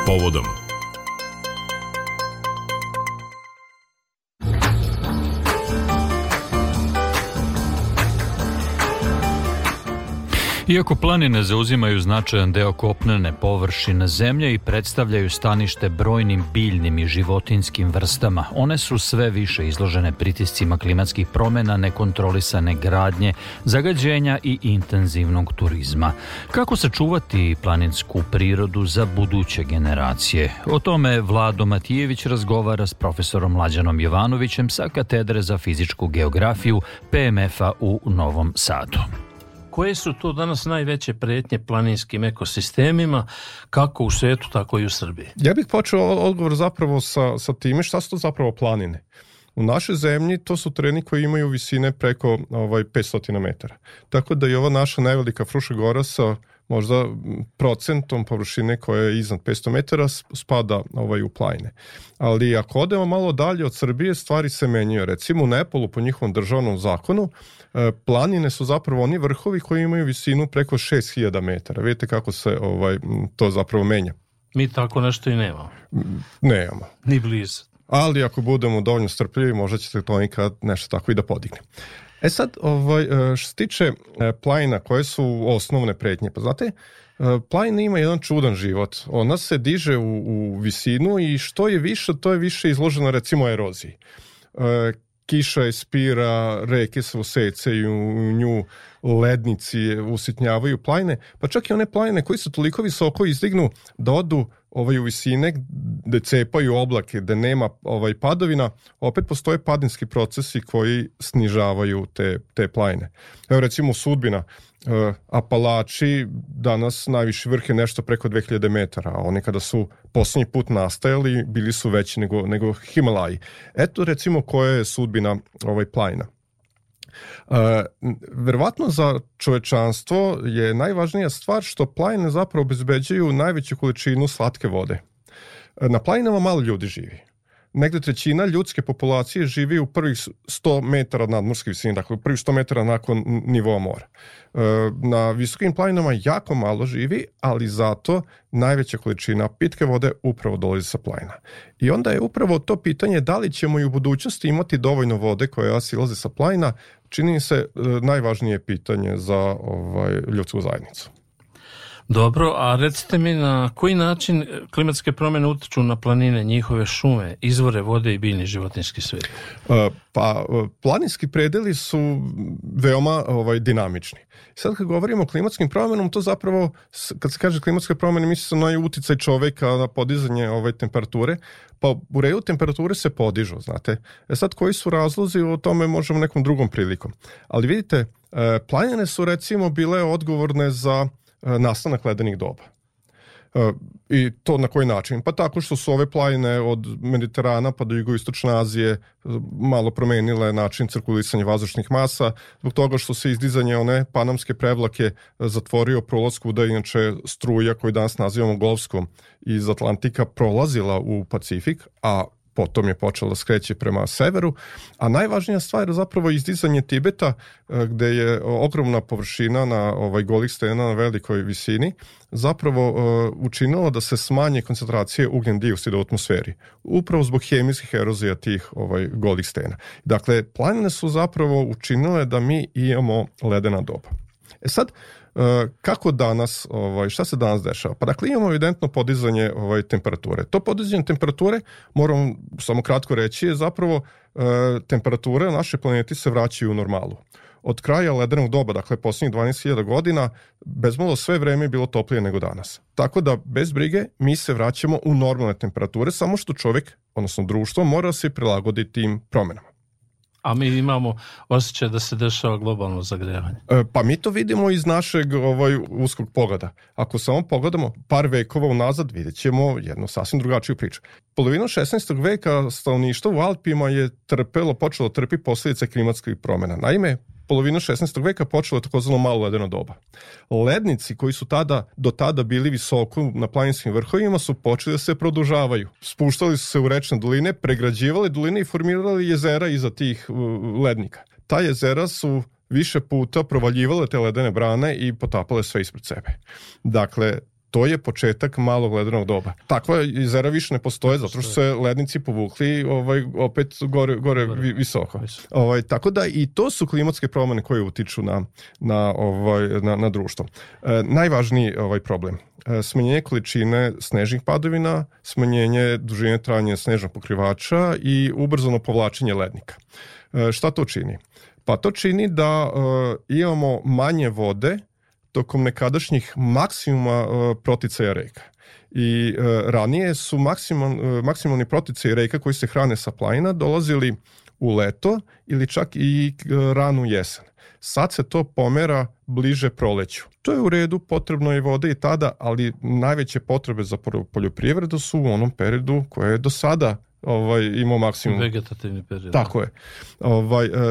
Povodom. Iako planine zauzimaju značajan deo kopnene površine zemlje i predstavljaju stanište brojnim biljnim i životinjskim vrstama, one su sve više izložene pritiscima klimatskih promjena, nekontrolisane gradnje, zagađenja i intenzivnog turizma. Kako sačuvati planinsku prirodu za buduće generacije? O tome Vlado Matijević razgovara s profesorom Mlađanom Jovanovićem sa Katedre za fizičku geografiju PMF-a u Novom Sadu. Koje su to danas najveće prijetnje planinskim ekosistemima, kako u svijetu, tako i u Srbiji? Ja bih počeo odgovor zapravo sa time šta su to zapravo planine. U našoj zemlji to su tereni koji imaju visine preko 500 metara. Tako da i ova naša najvelika Fruša Gora sa možda procentom površine koja je iznad 500 metara spada u planine. Ali ako odemo malo dalje od Srbije, stvari se menjaju. Recimo u Nepolu, po njihovom državnom zakonu, planine su zapravo oni vrhovi koji imaju visinu preko 6000 metara. Vidite kako se to zapravo menja. Mi tako nešto i nemamo. Nemamo. Ni blizu. Ali ako budemo dovoljno strpljivi, možda ćete to nikad nešto tako i da podigne. Sad, što se tiče planina, koje su osnovne pretnje? Pa znate, planina ima jedan čudan život. Ona se diže u visinu i što je više, to je više izloženo recimo eroziji. Kiša ispira, reke se usecaju u nju, lednici usitnjavaju planine, pa čak i one planine koji su toliko visoko izdignu da odu u visine gde cepaju oblake, gde nema padovina, opet postoje padinski procesi koji snižavaju te planine. Evo recimo Sudbina, Apalači, danas najviši vrh je nešto preko 2000 metara, a oni kada su posljednji put nastajali bili su veći nego Himalaji. Eto recimo koja je sudbina planina. Verovatno za čovečanstvo je najvažnija stvar što planine zapravo obezbeđuju najveću količinu slatke vode. Na planinama malo ljudi živi. Negde trećina ljudske populacije živi u prvih 100 metara nadmorske visine, dakle u prvih 100 metara nakon nivoa mora. Na visokim planinama jako malo živi, ali zato najveća količina pitke vode upravo dolazi sa planina. I onda je upravo to pitanje da li ćemo i u budućnosti imati dovoljno vode koja silaze sa planina, čini mi se najvažnije pitanje za ljudsku zajednicu. Dobro, a recite mi na koji način klimatske promjene utiču na planine, njihove šume, izvore vode i biljni životinjski svijet? Planinski predeli su veoma dinamični. Sad kad govorimo o klimatskim promjenama, to zapravo, kad se kaže klimatske promjene, misli se na uticaj čoveka na podizanje temperature, pa u redu temperature se podižu, znate. Sad koji su razlozi, o tome možemo nekom drugom prilikom. Ali vidite, planine su recimo bile odgovorne za nastanak ledenih doba. I to na koji način? Pa tako što su ove planine od Mediterana pa do jugoistočne Azije malo promenile način cirkulisanja vazdušnih masa, zbog toga što se izdizanje one panamske prevlake zatvorio prolaz kuda inače struja koju danas nazivamo Golfskom iz Atlantika prolazila u Pacifik, a potom je počela skreći prema severu, a najvažnija stvar je zapravo izdizanje Tibeta, gde je ogromna površina na golih stena na velikoj visini zapravo učinilo da se smanje koncentracije ugljen dioksida u atmosferi, upravo zbog hemijskih erozija tih golih stena. Dakle, planine su zapravo učinile da mi imamo ledena doba. Sad, kako danas, šta se danas dešava? Pa dakle imamo evidentno podizanje temperature. To podizanje temperature, moram samo kratko reći, je zapravo temperature na našoj planeti se vraćaju u normalu. Od kraja ledenog doba, dakle posljednjih 12.000 godina, bezmalo sve vreme je bilo toplije nego danas. Tako da, bez brige, mi se vraćamo u normalne temperature, samo što čovjek, odnosno društvo, mora se prilagoditi tim promjenama. A mi imamo osjećaj da se dešava globalno zagrevanje. Pa mi to vidimo iz našeg uskog pogleda. Ako samo pogledamo par vekova unazad, vidjet ćemo jednu sasvim drugačiju priču. Polovinu 16. veka stanovništvo u Alpima je počelo trpi posljedice klimatskih promjena. Naime, polovinu 16. veka počelo je takozvano malo ledeno doba. Lednici koji su do tada bili visoko na planinskim vrhovima su počeli da se produžavaju. Spuštali su se u rečne doline, pregrađivali doline i formirali jezera iza tih lednika. Ta jezera su više puta provaljivale te ledene brane i potapale sve ispred sebe. Dakle, to je početak malog ledenog doba. Takva jezera više ne postoje, zato što se lednici povukli opet gore visoko. Tako da i to su klimatske promjene koje utiču na društvo. Najvažniji problem. Smanjenje količine snežnih padavina, smanjenje dužine trajanja snežnog pokrivača i ubrzano povlačenje lednika. Šta to čini? Pa to čini da imamo manje vode tokom nekadašnjih maksimuma proticaja reka. I ranije su maksimalni proticaji reka koji se hrane sa planina dolazili u leto ili čak i ranu jesen. Sad se to pomera bliže proleću. To je u redu, potrebno je vode i tada, ali najveće potrebe za poljoprivredu su u onom periodu koje je do sada imao maksimum. Vegetativni period. Tako je.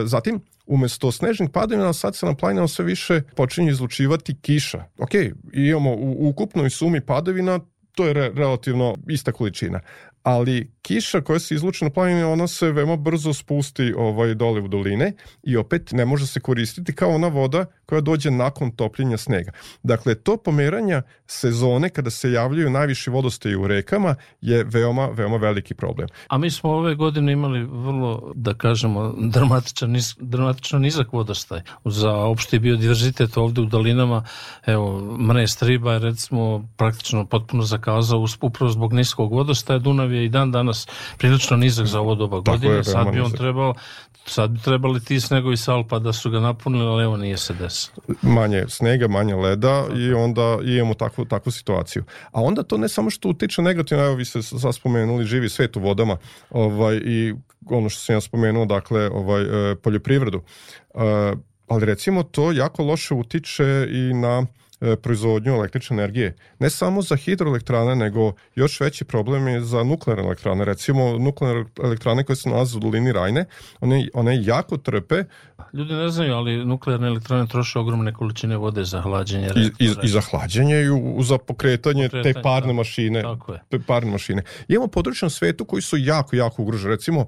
Zatim, umjesto snežnih padavina, sad se na planinama sve više počinje izlučivati kiša. Ok, imamo u ukupnoj sumi padavina, to je relativno ista količina. Ali kiša koja se izluči na planini, ona se veoma brzo spusti dole u doline i opet ne može se koristiti kao ona voda koja dođe nakon topljenja snega. Dakle, to pomeranja sezone kada se javljaju najviši vodostaji u rekama je veoma, veoma veliki problem. A mi smo ove godine imali vrlo, da kažemo, dramatično nizak vodostaj. Za opšti biodiverzitet ovdje u dolinama, evo, Mrest Riba je recimo praktično potpuno zakazao upravo zbog niskog vodostaja. Dunav je i dan danas prilično nizak za ovo doba godine. Sad bi trebali ti snegovi s Alpa da su ga napunili, ali evo nije se desilo. Manje snega, manje leda i onda imamo takvu situaciju. A onda to ne samo što utiče negativno, evo vi ste sad spomenuli živi svet u vodama i ono što sam ja spomenuo, dakle, poljoprivredu. Ali recimo to jako loše utiče i na proizvodnju električne energije. Ne samo za hidroelektrane, nego još veći problem je za nuklearne elektrane. Recimo, nuklearne elektrane koje se nalaze u dolini Rajne, one jako trpe. Ljudi ne znaju, ali nuklearne elektrane troše ogromne količine vode za hlađenje. I za hlađenje i za pokretanje te parne mašine. Tako je. Te parne mašine. Imamo područje na svetu koji su jako, jako ugroženi. Recimo,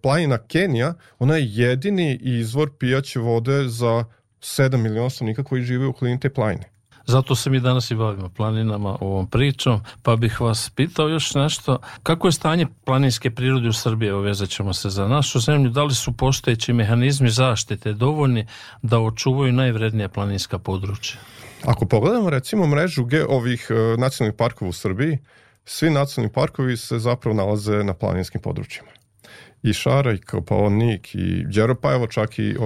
planina Kenija, ona je jedini izvor pijaće vode za 7 miliona stanovnika koji žive u okolini te planine. Zato se mi danas i bavimo planinama, ovom pričom, pa bih vas pitao još nešto. Kako je stanje planinske prirode u Srbiji? Vezat ćemo se za našu zemlju. Da li su postojeći mehanizmi zaštite dovoljni da očuvaju najvrednija planinska područja? Ako pogledamo recimo mrežu ovih nacionalnih parkova u Srbiji, svi nacionalni parkovi se zapravo nalaze na planinskim područjima. I Šara, i Kopaonik, i Đeropa, evo čak i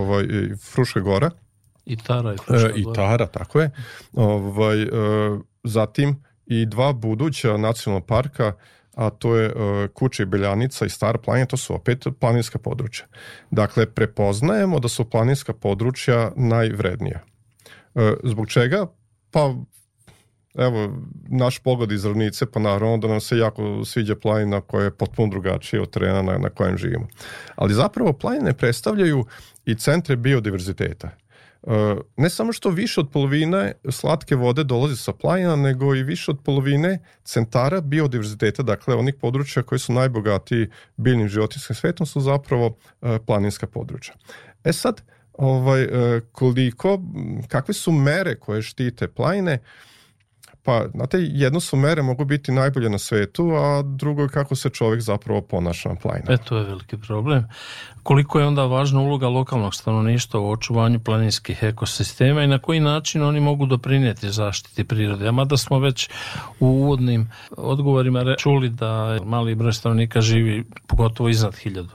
Fruška gora. I Tara i Fruška gora. I Tara, tako je. Zatim i dva buduća nacionalna parka, a to je Kuče i Beljanica i Stara planina, to su opet planinska područja. Dakle, prepoznajemo da su planinska područja najvrednija. Zbog čega? Pa, evo, naš pogled iz ravnice, pa naravno da nam se jako sviđa planina koja je potpuno drugačija od terena na kojem živimo. Ali zapravo planine predstavljaju i centre biodiverziteta. Ne samo što više od polovine slatke vode dolazi sa planina, nego i više od polovine centara biodiverziteta, dakle onih područja koji su najbogatiji biljnim životinjskim svetom, su zapravo planinska područja. Sad, kakve su mere koje štite planine? Pa, znate, jedno su mere mogu biti najbolje na svetu, a drugo je kako se čovjek zapravo ponaša na planinama. To je veliki problem. Koliko je onda važna uloga lokalnog stanovništva u očuvanju planinskih ekosistema i na koji način oni mogu doprinijeti zaštiti prirode? A mada smo već u uvodnim odgovorima čuli da mali broj stanovnika živi pogotovo iznad 1000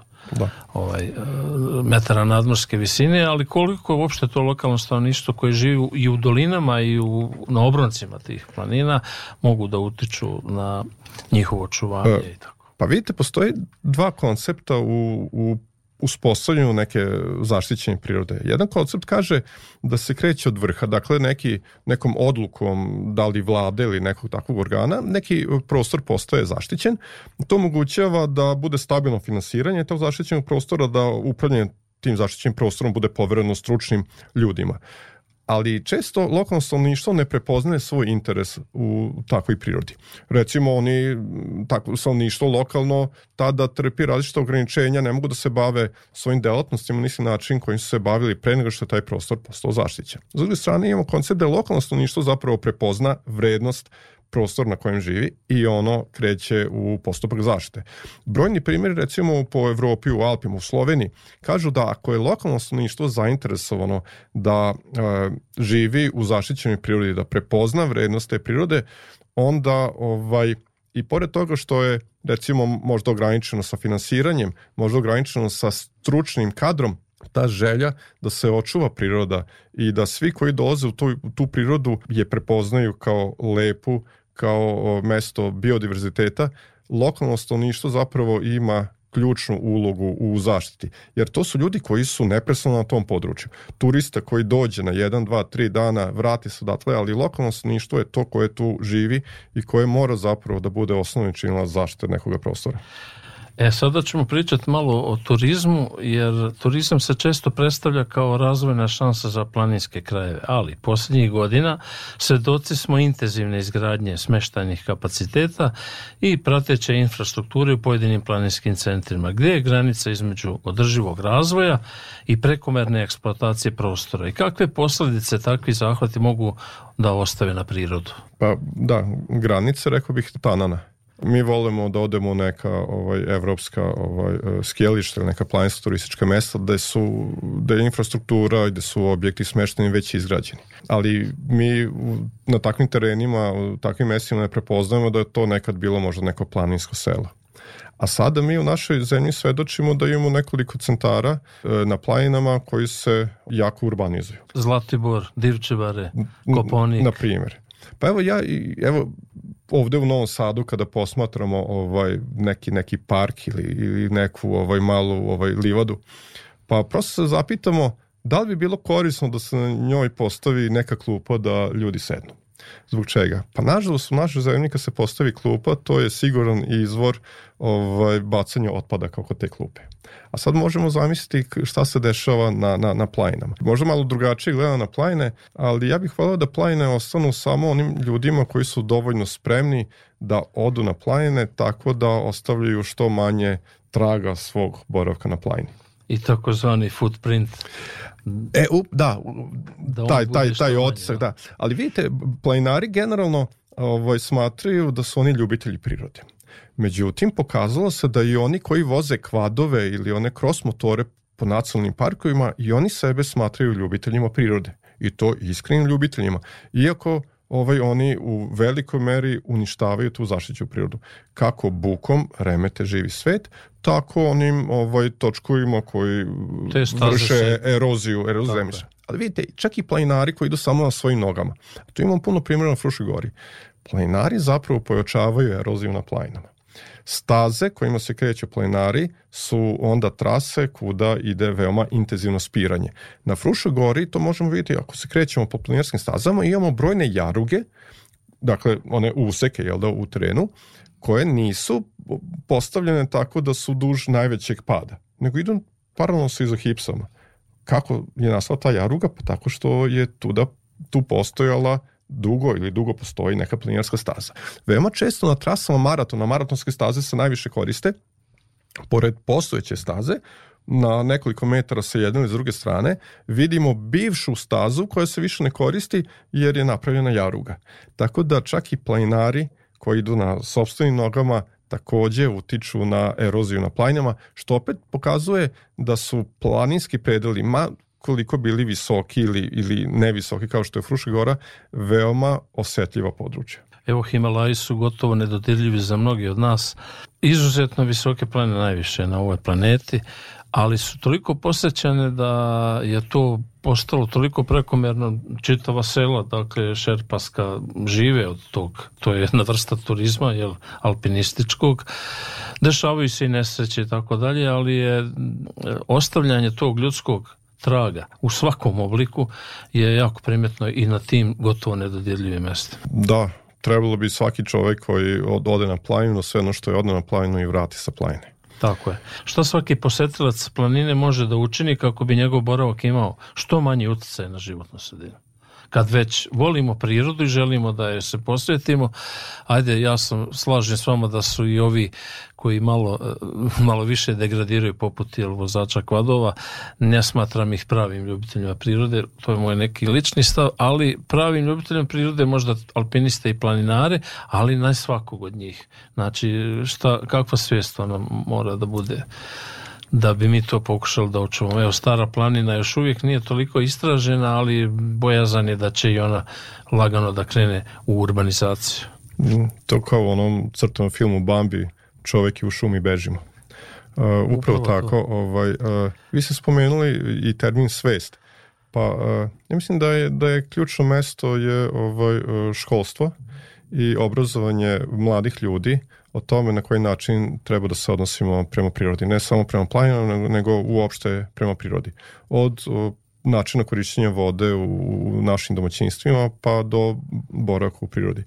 metara nadmorske visine, ali koliko uopšte to lokalno stanovništvo koje živi i u dolinama i na obroncima tih planina mogu da utiču na njihovo očuvanje i tako. Pa vidite, postoji dva koncepta u uspostavljanju neke zaštićene prirode. Jedan koncept kaže da se kreće od vrha, dakle nekom odlukom, da li vlade ili nekog takvog organa, neki prostor postaje zaštićen. To omogućava da bude stabilno finansiranje tog zaštićenog prostora, da upravljanje tim zaštićenim prostorom bude povereno stručnim ljudima. Ali često lokalno stanovništvo ne prepoznaje svoj interes u takvoj prirodi. Recimo, takvo stanovništvo lokalno tada trpi različite ograničenja, ne mogu da se bave svojim delatnostima na isti način kojim su se bavili pre nego što je taj prostor postao zaštićen. S druge strane, imamo koncept da lokalno stanovništvo zapravo prepozna vrednost prostor na kojem živi i ono kreće u postupak zaštite. Brojni primjeri, recimo po Evropi, u Alpima, u Sloveniji, kažu da ako je lokalno stanovništvo zainteresovano da živi u zaštićenoj prirodi, da prepozna vrednost te prirode, onda i pored toga što je recimo možda ograničeno sa finansiranjem, možda ograničeno sa stručnim kadrom, ta želja da se očuva priroda i da svi koji dolaze u tu prirodu je prepoznaju kao lepu, kao mesto biodiverziteta, lokalno stanovništvo zapravo ima ključnu ulogu u zaštiti. Jer to su ljudi koji su neprestano na tom području. Turista koji dođe na 1, 2, 3 dana, vrati se odatle, ali lokalno stanovništvo je to koje tu živi i koje mora zapravo da bude osnovni činilac zaštite nekoga prostora. Sada ćemo pričati malo o turizmu, jer turizam se često predstavlja kao razvojna šansa za planinske krajeve, ali posljednjih godina svedoci smo intenzivne izgradnje smještajnih kapaciteta i prateće infrastrukture u pojedinim planinskim centrima. Gdje je granica između održivog razvoja i prekomerne eksploatacije prostora i kakve posljedice takvi zahvati mogu da ostave na prirodu? Pa da, granice, rekao bih, tanana. Mi volimo da odemo u neka evropska skijališta ili neka planinska turistička mesta da je infrastruktura i da su objekti smešteni već izgrađeni. Ali mi na takvim terenima, u takvim mestima ne prepoznajemo da je to nekad bilo možda neko planinsko selo. A sada mi u našoj zemlji svedočimo da imamo nekoliko centara na planinama koji se jako urbanizuju. Zlatibor, Divčebare, Kopaonik. Na primjer. Pa evo ovdje u Novom Sadu kada posmatramo neki park ili neku malu livadu, pa prosto se zapitamo da li bi bilo korisno da se na njoj postavi neka klupa da ljudi sednu. Zbog čega? Pa nažalost u našoj zemlji kad se postavi klupa, to je siguran izvor bacanja otpadaka oko te klupe. A sad možemo zamisliti šta se dešava na planinama. Možda malo drugačije gleda na planine, ali ja bih volio da planine ostanu samo onim ljudima koji su dovoljno spremni da odu na planine, tako da ostavljaju što manje traga svog boravka na planini. I takozvani footprint. Taj otisak, da. Ali vidite, planinari generalno smatraju da su oni ljubitelji prirode. Međutim, pokazalo se da i oni koji voze kvadove ili one cross motore po nacionalnim parkovima, i oni sebe smatraju ljubiteljima prirode. I to iskrenim ljubiteljima. Iako oni u velikoj meri uništavaju tu zaštićenu prirodu. Kako bukom remete živi svet, tako onim točkovima koji vrše eroziju zemljišta. Ali vidite, čak i planinari koji idu samo na svojim nogama. Tu imamo puno primjera na Fruškoj gori. Planinari zapravo pojačavaju eroziju na planinama. Staze kojima se kreću planinari su onda trase kuda ide veoma intenzivno spiranje. Na Fruškoj gori to možemo vidjeti ako se krećemo po planinarskim stazama, imamo brojne jaruge, dakle one useke u terenu, koje nisu postavljene tako da su duž najvećeg pada, nego idu paralelno sa izogipsama. Kako je nastala ta jaruga? Pa tako što je tu postojala dugo postoji neka planinarska staza. Veoma često na trasama maratonske staze se najviše koriste, pored postojeće staze, na nekoliko metara sa jedne ili s druge strane, vidimo bivšu stazu koja se više ne koristi jer je napravljena jaruga. Tako da čak i planinari koji idu na sopstvenim nogama također utiču na eroziju na planinama, što opet pokazuje da su planinski predeli, koliko bili visoki ili nevisoki kao što je Fruška gora, veoma osjetljiva područja. Evo, Himalaji su gotovo nedodirljivi za mnogi od nas. Izuzetno visoke planine najviše na ovoj planeti, ali su toliko posjećane da je to postalo toliko prekomerno. Čitava sela, dakle šerpaska, žive od tog. To je jedna vrsta turizma, alpinističkog. Dešavaju se i nesreće i tako dalje, ali je ostavljanje tog ljudskog traga u svakom obliku je jako primjetno i na tim gotovo nedodirljivim mjestima. Da, trebalo bi svaki čovjek koji ode na planinu, sve ono što je ode na planinu i vrati sa planine. Tako je. Što svaki posjetilac planine može da učini kako bi njegov boravak imao što manji utjecaj na životnu sredinu? kad već volimo prirodu i želimo da je se posvetimo, ajde, ja slažem s vama da su i ovi koji malo više degradiraju poput vozača kvadova, ne smatram ih pravim ljubiteljima prirode, to je moj neki lični stav, ali pravim ljubiteljima prirode možda alpiniste i planinare, ali ne svakog od njih. Znači, kakva svijest nam mora da bude da bi mi to pokušali da očuvamo. Evo, Stara planina još uvijek nije toliko istražena, ali bojazan je da će i ona lagano da krene u urbanizaciju. To kao u onom crtanom filmu Bambi, čovjek je u šumi, bežimo. Upravo tako. Vi ste spomenuli i termin svest. Pa ja mislim da je ključno mesto je školstvo i obrazovanje mladih ljudi o tome na koji način treba da se odnosimo prema prirodi. Ne samo prema planinama, nego uopšte prema prirodi. Od načina korišćenja vode u našim domaćinstvima pa do boravka u prirodi.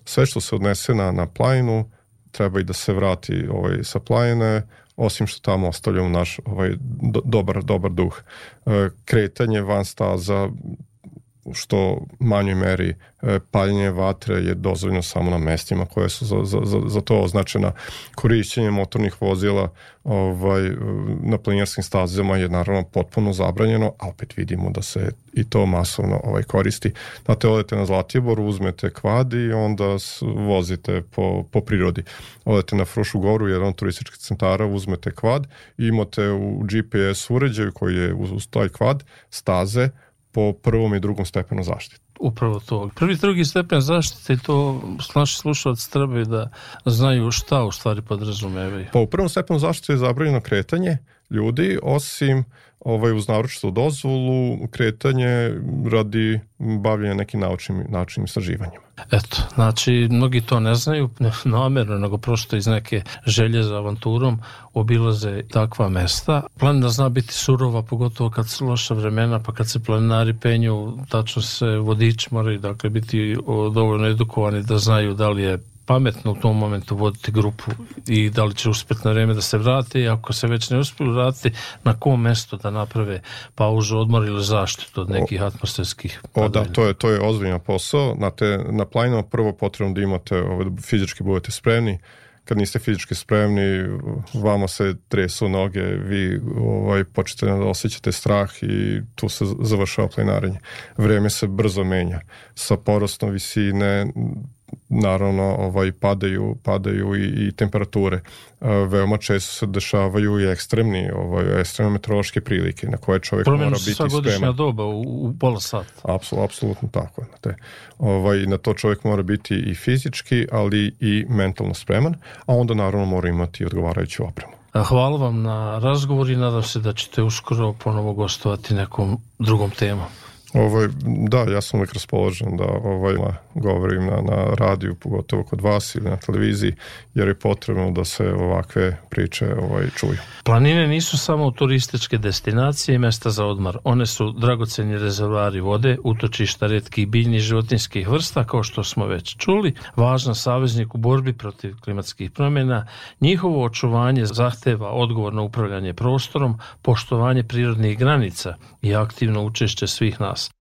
Sve što se odnese na planinu treba i da se vrati sa planine, osim što tamo ostavljamo naš dobar duh. Kretanje van staza, što manjoj meri paljenje vatre je dozvoljeno samo na mestima koje su za to označena. Korišćenje motornih vozila na planinarskim stazama je naravno potpuno zabranjeno, a opet vidimo da se i to masovno koristi. Znate, odete na Zlatibor, uzmete kvad i onda vozite po prirodi. Odete na Frušu goru, jedan od turističkih centara, uzmete kvad i imate u GPS uređaju koji je uz taj kvad staze po prvom i drugom stepenu zaštite. Upravo to. Prvi i drugi stepen zaštite, to naši slušalci trebaju da znaju šta u stvari podrazumevaju. Pa u prvom stepenu zaštite je zabranjeno kretanje ljudi, osim uz naročitu dozvolu, kretanje radi bavljenja nekim naučnim istraživanjima. Eto, znači, mnogi to ne znaju namjerno, nego prosto iz neke želje za avanturom obilaze takva mesta. Planina zna biti surova, pogotovo kad su loša vremena, pa kad se planinari penju, tačno se vodiči moraju biti dovoljno edukovani da znaju da li je pametno u tom momentu voditi grupu i da li će uspjeti na vrijeme da se vrati, i ako se već ne uspiju vratiti, na kom mjestu da naprave pauzu, odmor ili zaštitu od nekih atmosferskih padavina. Da, to je ozbiljan posao. Na planinama prvo potrebno da imate, fizički budete spremni. Kad niste fizički spremni, vama se tresu noge, vi počete da osjećate strah i tu se završava planinarenje. Vrijeme se brzo menja. Sa porastom visine naravno padaju i temperature. Veoma često se dešavaju i ekstremne meteorološke prilike na koje čovjek mora biti spreman. Promjenu godišnja doba u pola sata. Apsolutno tako. Na to čovjek mora biti i fizički, ali i mentalno spreman, a onda naravno mora imati odgovarajuću opremu. Hvala vam na razgovor i nadam se da ćete uskoro ponovo gostovati nekom drugom temom. Da, ja sam uvijek raspoložen da govorim na radiju, pogotovo kod vas ili na televiziji, jer je potrebno da se ovakve priče čuju. Planine nisu samo turističke destinacije i mjesta za odmor. One su dragoceni rezervoari vode, utočišta retkih biljnih i životinjskih vrsta, kao što smo već čuli, važan saveznik u borbi protiv klimatskih promjena. Njihovo očuvanje zahteva odgovorno upravljanje prostorom, poštovanje prirodnih granica i aktivno učešće svih nas.